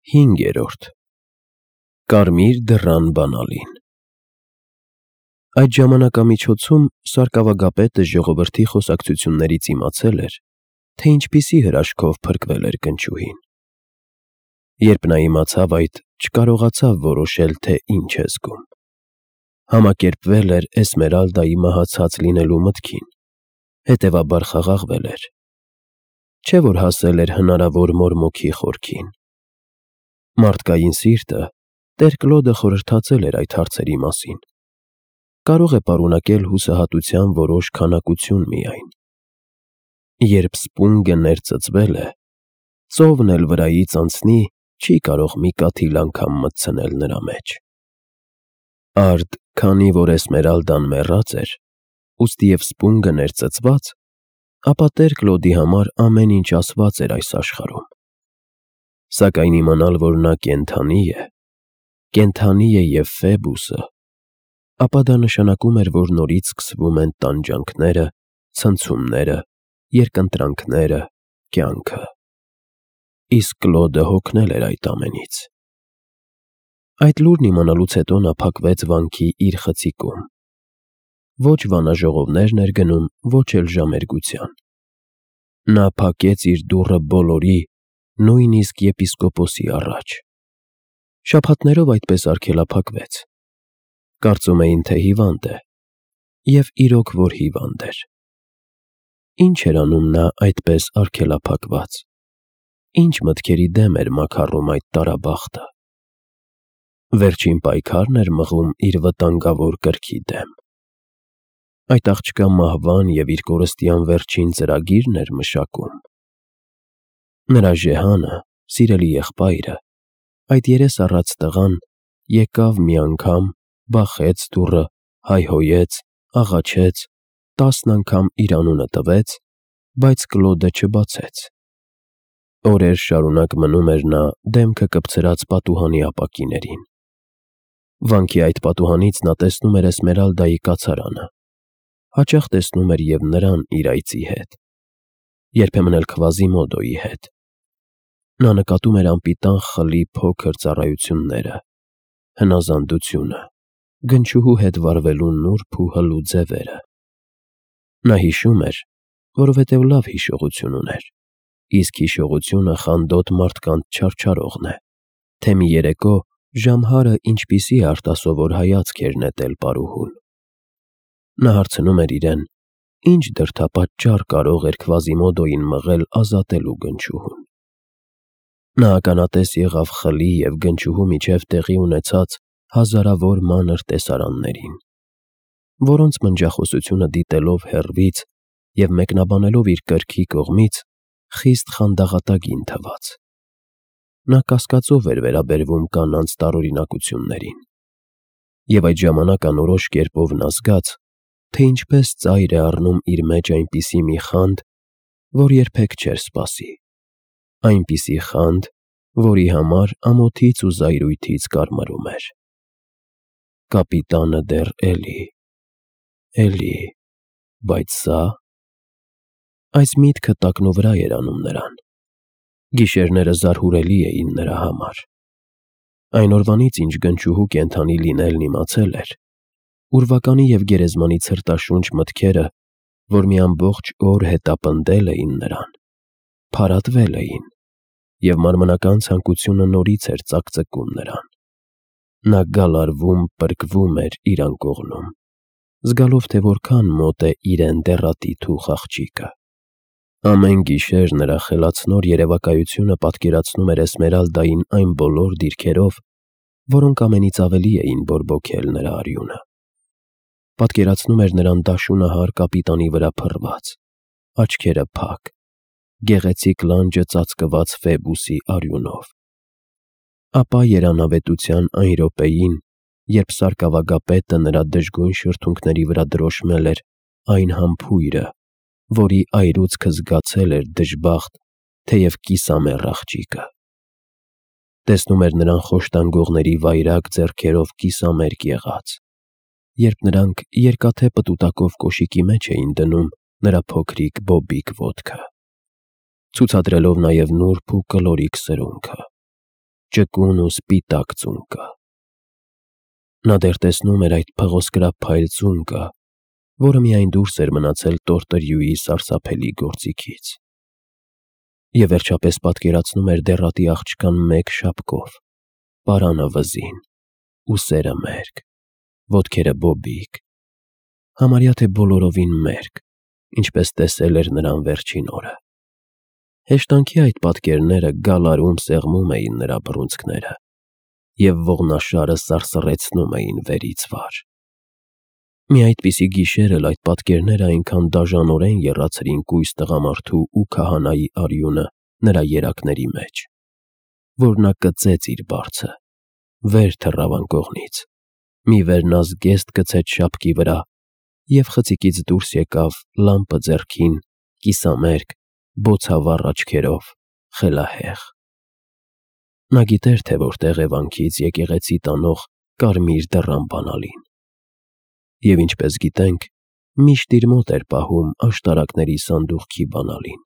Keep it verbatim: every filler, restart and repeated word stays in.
Հինգերորդ Կարմիր դռան բանալին Այդ ժամանակամիջոցում սարկավագապետը ժողովրդի խոսակցություններից իմացել էր, թե ինչպիսի հրաշքով փրկվել էր գնչուհին. Երբ նա իմացավ այդ, չկարողացավ որոշել, թե ինչ է զգում. համակերպվել էր Էսմերալդայի մահացած լինելու մտքին, հետևաբար խաղաղվել էր, չէ՞ որ հասել էր հնարավոր մորմոքի խորքին։ Մարդկային սիրտը տեր Կլոդը խորհրդածել էր այդ հարցերի մասին, կարող է պարունակել հուսահատության որոշ քանակություն միայն։ Երբ սպունգը ներծծվել է, ծովն էլ վրայից անցնի, չի կարող մի կաթիլ անգամ մտցնել նրա մեջ։ Արդ, քանի որ Էսմերալդան մեռած էր, ուստիև սպունգը ներծծված, ապա տեր Կլոդի համար ամեն ինչ ասված էր այս աշխարհում։ Սակայն իմանալ, որ նա կենդանի է, կենդանի է և Ֆեբուսը, ապա դա նշանակում էր, որ նորից սկսվում են տանջանքները, ցնցումները, երկընտրանքները, կյանքը։ Իսկ Կլոդը հոգնել էր այդ ամենից։ Այդ լուրն իմանալուց հետո նա փակվեց վանքի իր խցիկում։ Ոչ վանաժողովներն էր գնում, ոչ էլ ժամերգության։ Նա փակեց իր դուռը բոլորի, նույնիսկ եպիսկոպոսի առաջ։ Շաբաթներով այդպես արգելափակվեց։ Կարծում էին, թե հիվանդ է, և իրոք որ հիվանդ էր։ Ինչ էր անում նա այդպես արգելափակված, ինչ մտքերի դեմ էր մաքառում այդ տարաբախտը։ Վերջին պայքարն էր մղում իր վտանգավոր կրքի դեմ։ Այդ աղջկա մահվան և իր կորստյան վերջին ծրագի՞րն էր մշակում։ Նրա ժեհանը, սիրելի եղբայրը, այդ երես առած տղան, եկավ մի անգամ, բախեց դուռը, հայհոյեց, աղաչեց, տասն անգամ իր անունը տվեց, բայց Կլոդը չբացեց։ Օրեր շարունակ մնում էր նա դեմքը կպցրած պատուհանի ապակիներին։ Վանքի այդ պատուհանից նա տեսնում էր Էսմերալդայի կացարանը, հաճախ տեսնում էր և նրան իր այծի հետ, երբեմն էլ Քվազիմոդոյի հետ։ Նա նկատում էր անպիտան խլի փոքր ծառայությունները, հնազանդությունը, գնչուհու հետ վարվելու նուրբ ու հլու ձևերը։ Նա հիշում էր, որովհետև լավ հիշողություն ուներ, իսկ հիշողությունը խանդոտ մարդկանց չարչարողն է, թե մի երեկո Ժամհարը ինչպիսի արտասովոր հայացք էր նետել պարուհուն։ Նա հարցնում էր իրեն, ինչ դրդապատճառ կարող էր Քվազիմոդոյին մղել ազատելու գնչուհուն։ Նա ականատես եղավ խլի և գնչուհու միջև տեղի ունեցած հազարավոր մանր տեսարաններին, որոնց մնջախոսությունը դիտելով հեռվից և մեկնաբանելով իր կրքի կողմից, խիստ խանդաղատագին թվաց։ Նա կասկածով էր վերաբերվում կանանց տարօրինակություններին, և այդ ժամանակ անորոշ կերպով նա զգաց, թե ինչպես ծայր է առնում իր մեջ այնպիսի մի խանդ, որ երբեք չէր սպասի, այնպիսի խանդ, որի համար ամոթից ու զայրույթից կարմրում էր։ Կապիտանը դեռ էլի, էլի, բայց սա… Այս միտքը տակնուվրա էր անում նրան։ Գիշերները զարհուրելի էին նրա համար։ Այն օրվանից, ինչ գնչուհու կենդանի լինելն իմացել էր, ուրվականի և գերեզմանի ցրտաշունչ մտքերը, որ մի ամբողջ օր հետապնդել էին նրան, փարատվել էին, և մարմնական ցանկությունը նորից էր ծակծկում նրան։ Նա գալարվում, պրկվում էր իր անկողնում, զգալով, թե որքան մոտ է իրեն դեռատիպ ու աղջիկը։ Ամեն գիշեր նրա խելացնոր երևակայությունը պատկերացնում էր Էսմերալդային այն բոլոր դիրքերով, որոնք ամենից ավելի էին բորբոքել նրա արյունը։ Պատկերացնում էր նրան դաշունահար կապիտանի վրա փռված, աչքերը փակ, գեղեցիկ լանջը ծածկված Ֆեբուսի արյունով։ Ապա երանավետության այն րոպեին, երբ սարկավագապետը նրա դժգույն շրթունքների վրա դրոշմել էր այն համբույրը, որի այրուձգը զգացել էր դժբախտ, թեև կիսամեռ աղջիկը։ Տեսնում էր նրան խոշտանգողների վայրագ ձեռքերով կիսամերկ եղած, երբ նրանք երկաթե պտուտակով կոշիկի մեջ էին դնում նրա փոքրիկ բոբիկ ոտքը, ցուցադրելով նաև նուրբ ու կլորիկ սրունքը։ ճկուն ու սպիտակ ծունկը։ Նա դեռ տեսնում էր այդ փղոսկրափ փայլ ծունկը, որը միայն դուրս էր մնացել տորտրյուի սարսափելի գործիքից։ Եվ վերջապես պատկերացնում էր դեռատի աղջկան մեկ շապկով, պարանը վզին, ուսերը մերկ, ոտքերը բոբիկ, համարյա թե բոլորովին մերկ, ինչպես տեսել էր նրան վերջին օրը։ Հեշտանքի այդ պատկերները գալարում սեղմում էին նրա բռունցքները և ողնաշարը սարսռեցնում էին վերից վար։ Մի այդպիսի գիշեր էլ այդ պատկերները այնքան դաժանորեն եռացրին կույս տղամարդու ու քահանայի արյունը նրա երակների մեջ, որ նա կծեց իր բարձը, վեր թռավ անկողնից, մի վերնազգեստ գցեց շապկի վրա և խցիկից դուրս եկավ լամպը ձեռքին, կիսամերկ, բոցավառ աչքերով, խելահեղ։ Նա գիտեր, թե որտեղ է վանքից եկեղեցի տանող կարմիր դռան բանալին, և ինչպես գիտենք, միշտ իր մոտ էր պահում աշտարակների սանդուղքի բանալին։